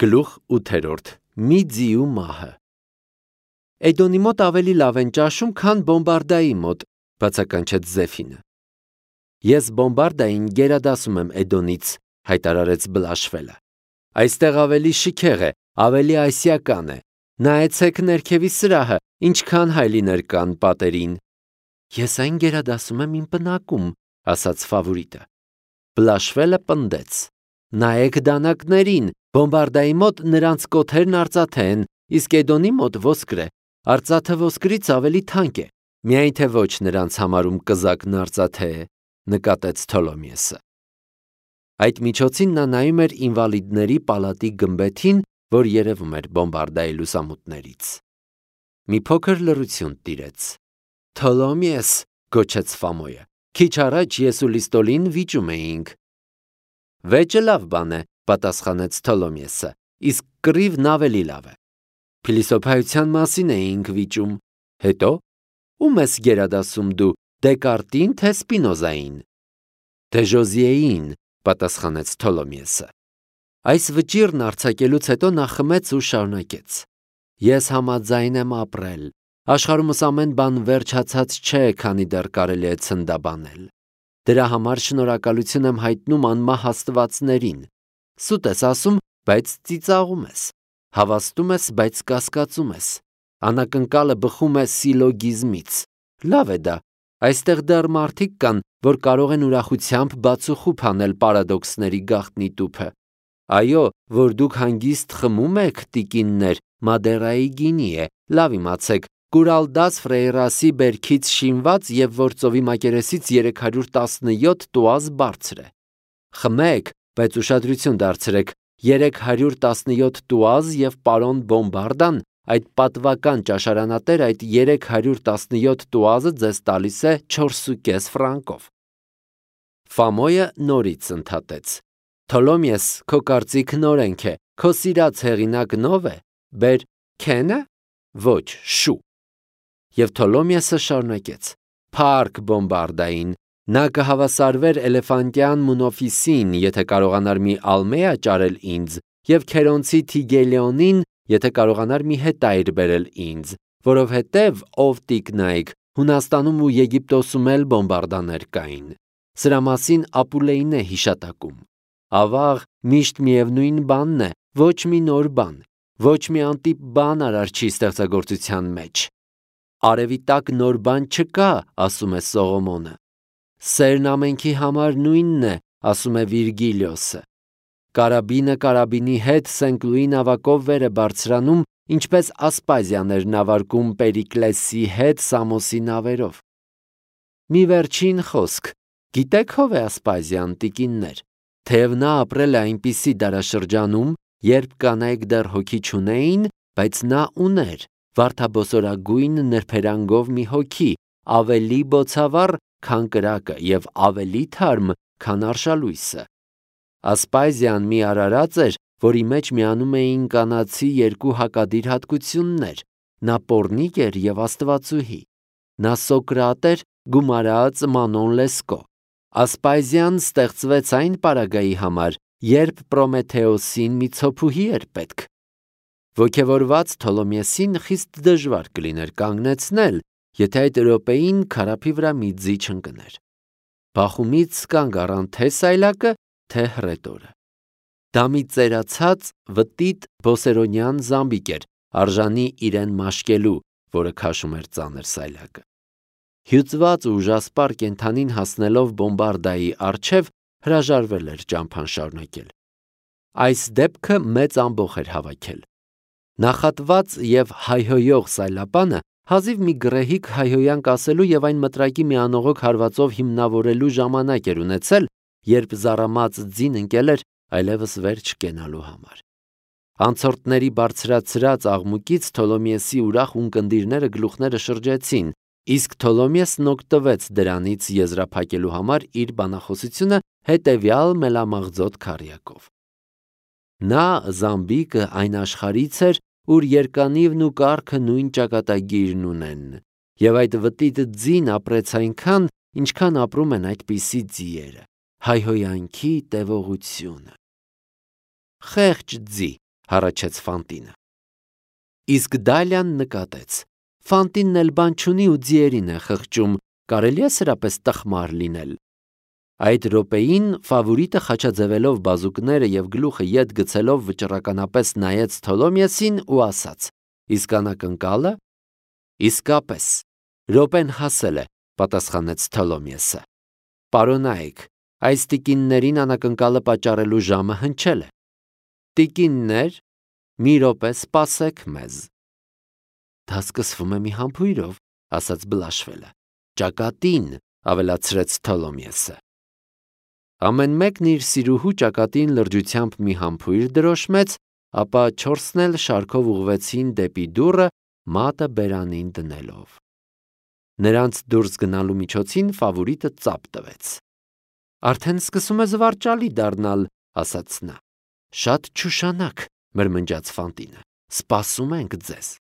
Գլուխ 8. Մի ձիու մահը։ Էդոնի մոտ ավելի լավ են ճաշում, քան Բոմբարդայի մոտ, բացականչեց Զեֆինը։ Ես Բոմբարդային գերադասում եմ Էդոնից, հայտարարեց Բլաշվելը։ Այստեղ ավելի շքեղ է, ավելի ասիական է։ Նայեցեք ներքևի սրահը, ինչքան հայլիներ կան պատերին։ Ես այն գերադասում եմ իմ պնակում, ասաց Ֆավորիտը։ Բլաշվելը պնդեց։ Նայեք դանակներին, Բոմբարդայի մոտ նրանց կոթերն արծաթե են, իսկ Էդոնի մոտ ոսկր է։ Արծաթը ոսկրից ավելի թանկ է, միայն թե ոչ նրանց համարում կզակն արծաթե է, նկատեց Թոլոմիեսը։ Այդ միջոցին նա նայում էր ինվալիդների պալատի գմբեթին, որ երևում էր Բոմբարդայի լուսամուտներից։ Մի փոքր լռություն տիրեց։ Թոլոմիես, գոչեց Ֆամոյը, քիչ առաջ ես ու Լիստոլին վիճում էինք։ Վեճը լավ բան է, պատասխանեց Թոլոմիեսը, իսկ կռիվն ավելի լավ է։ Փիլիսոփայության մասին էինք վիճում։ Հետո ում ես գերադասում դու, Դեկարտին թե Սպինոզային։ Դե Ժոզիեին, պատասխանեց Թոլոմիեսը։ Այս վճիռն արձակելուց հետո նա խմեց ու շարունակեց. Ես համաձայն եմ ապրել։ Աշխարհումս ամեն բան վերջացած չէ, քանի դեռ կարելի է ցնդաբանել։ Դրա համար շնորհակալություն եմ հայտնում անմահ աստվածներին։ Սուտ ես ասում, բայց ծիծաղում ես։ Հավաստում ես, բայց կասկածում ես։ Անակնկալը բխում է սիլոգիզմից։ Լավ է դա։ Այստեղ դեռ մարդիկ կան, որ կարող են ուրախությամբ բացուխուփ անել պարադոքսների գաղտնի տուփը։ Այո, որ դուք հանգիստ խմում եք, տիկիններ, Մադերայի գինի է, լավ իմացեք, Կուրալդաս Ֆրեյրասի բերքից շինված եւ որ ծովի մակերեսից 317 տուազ բարձր է։ Խմեք, բայց ուշադրություն դարձրեք, 317 տուազ եւ պարոն Բոմբարդան, այդ պատվական ճաշարանատեր այդ 317 տուազը ձեզ տալիս է 4.5 ֆրանկով։ Ֆամոյը նորից ընդհատեց. Թոլոմիես, քո կարծիքն օրենք է, քո սիրած հեղինակն ով է, բեր Քենը, ոչ, շու։ Եվ Թոլոմիեսը շարունակեց. Փառք Բոմբարդային, նա կհավասարվեր էլեֆանտյան Մունոֆիսին, եթե կարողանար մի ալմեա ճարել ինձ, եւ Քերոնցի Թիգելիոնին, եթե կարողանար մի հետայր բերել ինձ, որովհետեւ ով տիկնայք, Հունաստանում ու Եգիպտոսում էլ Բոմբարդաներ կային։ Սրա մասին Ապուլեին է հիշատակում։ Ավաղ միշտ միևնույն բանն է, ոչ մի նոր բան, ոչ մի անտիպ բան արարչի ստեղծագործության մեջ։ Արևի տակ նոր բան չկա, ասում է Սողոմոնը։ Սերն ամենքի համար նույնն է, ասում է Վիրգիլիոսը։ Կարաբինը կարաբինի հետ Սենկլուի նավակով վեր է բարձրանում, ինչպես Ասպազիան էր նավարկում Պերիկլեսի հետ Սամոսի նավերով։ Մի վերջին խոսք, գիտեք ով է Ասպազիան, տիկիններ, թեև նա ապրել է այնպիսի դարաշրջանում, երբ կանայք դեռ հոգի չունեին, բայց նա ուներ վարդաբոսորագույն նրբերանգով մի հոգի, ավելի բոցավառ, քան կրակը եւ ավելի թարմ, քան արշալույսը։ Ասպազիան մի արարած էր, որի մեջ միանում էին կանացի երկու հակադիր հատկություններ։ Նա պոռնիկ էր եւ աստվածուհի։ Նա Սոկրատ էր, գումարած Մանոն Լեսկո։ Ասպազիան ստեղծվեց այն պարագայի համար, երբ Պրոմեթեոսին մի ցոփուհի էր պետք։ Ոգևորված Թոլոմիեսին խիստ դժվար կլիներ կանգնեցնել, եթե այդ րոպեին քարափի վրա մի ձի չընկներ։ Բախումից կանգ առան թե սայլակը, թե հռետորը։ Դա մի ծերացած, վտիտ բոսերոնյան զամբիկ էր, արժանի իրեն մաշկելու, որը քաշում էր ծանր սայլակը։ Հյուծված ու ուժասպառ կենդանին հասնելով Բոմբարդայի առջև հրաժարվել էր ճամփան շարունակել։ Այս դեպքը մեծ ամբոխ էր հավաքել։ Նախատված եւ հայհոյող սայլապանը հազիվ մի գռեհիկ հայհոյանք ասելու եւ այն մտրակի մի անողոք հարվածով հիմնավորելու ժամանակ էր ունեցել, երբ զառամած ձին ընկել էր այլևս վեր չկենալու համար։ Անցորդների բարձրացրած աղմուկից Թոլոմիեսի ուրախ ունկնդիրները գլուխները շրջեցին, իսկ Թոլոմիեսն օգտվեց դրանից եզրափակելու համար իր բանախոսությունը հետևյալ մելամաղձոտ քառյակով։ Նա զամբիկը այն աշխարից էր, ուր երկանիվն ու կառքը նույն ճակատագիրն ունեն, եւ այդ վտիտ ձին ապրեց այնքան, ինչքան ապրում են այդպիսի ձիերը, հայհոյանքի տևողությունը։ Խեղճ ձի, հառաչեց Ֆանտինը։ Իսկ Դալիան նկատեց. Ֆանտինն էլ բան չունի ու ձիերին է խղճում, կարելի է սրապես տխմար լինել։ Այդ րոպեին ֆավորիտը խաչաձևելով բազուկները եւ գլուխը ետ գցելով վճռականապես նայեց Թոլոմեոսին ու ասաց. Իսկ անակնկալը։ Իսկապես, րոպեն հասել է, պատասխանեց Թոլոմեոսը։ Պարոնայք, այս տիկիններին անակնկալը պատճառելու ժամը հնչել է։ Տիկիններ, մի րոպե սպասեք մեզ։ Դա սկսվում է մի համբույրով, ասաց Բլաշվելը։ Ճակատին, ավելացրեց Թոլոմեոսը։ Ամեն մեկն իր սիրուհու ճակատին լրջությամբ մի համբույր դրոշմեց, ապա չորսն էլ շարքով ուղղվեցին դեպի դուռը, մատը բերանին դնելով։ Նրանց դուրս գնալու միջոցին ֆավորիտը ծափ տվեց։ Արդեն սկսում է զվարճալի դառնալ, ասաց նա։ Շատ չուշանակ, մրմնջաց Ֆանտինը։ Սպասում ենք ձեզ։